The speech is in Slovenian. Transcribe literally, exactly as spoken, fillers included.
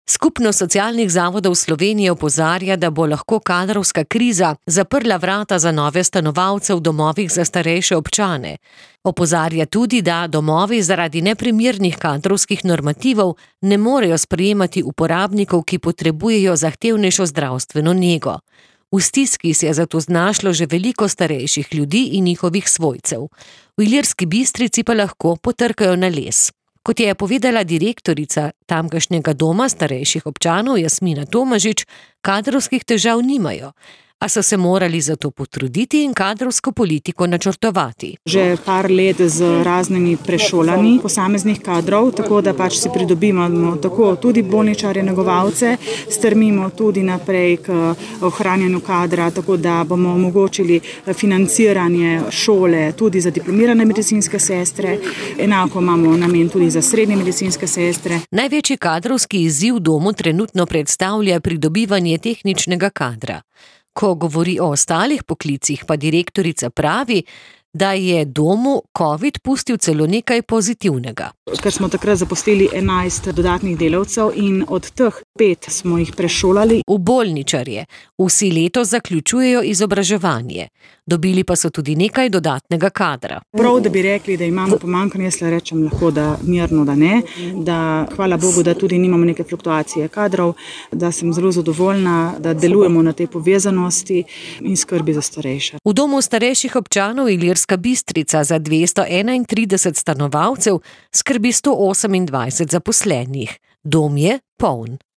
Skupnost socialnih zavodov Slovenije opozarja, da bo lahko kadrovska kriza zaprla vrata za nove stanovalce v domovih za starejše občane. Opozarja tudi, da domovi zaradi neprimernih kadrovskih normativov ne morejo sprejemati uporabnikov, ki potrebujejo zahtevnejšo zdravstveno nego. V stiski se je zato znašlo že veliko starejših ljudi in njihovih svojcev. V Ilirski Bistrici pa lahko potrkajo na les. Kot je povedala direktorica tamkajšnjega doma starejših občanov Jasmina Tomažič, kadrovskih težav nimajo, a so se morali zato potruditi in kadrovsko politiko načrtovati. Že par let z raznimi prešolanji posameznih kadrov, tako da pač si pridobimo tako tudi bolničarje, negovalce, strmimo tudi naprej k ohranjanju kadra, tako da bomo omogočili financiranje šole tudi za diplomirane medicinske sestre, enako imamo namen tudi za srednje medicinske sestre. Največji kadrovski izziv domu trenutno predstavlja pridobivanje tehničnega kadra. Ko govori o ostalih poklicih, pa direktorica pravi, da je domu covid pustil celo nekaj pozitivnega. Ker smo takrat zaposlili enajst dodatnih delavcev in od teh pet smo jih prešolali v bolničarje. Vsi letos zaključujejo izobraževanje. Dobili pa so tudi nekaj dodatnega kadra. Prav, da bi rekli, da imamo pomanjkanje, jaz le rečem lahko, da mirno, da ne, da hvala Bogu, da tudi nimamo neke fluktuacije kadrov, da sem zelo zadovoljna, da delujemo na tej povezanosti in skrbi za starejše. V domu starejših občanov Ilirska Bistrica za dvesto enaintrideset stanovalcev skrbi sto osemindvajset zaposlenih. Dom je poln.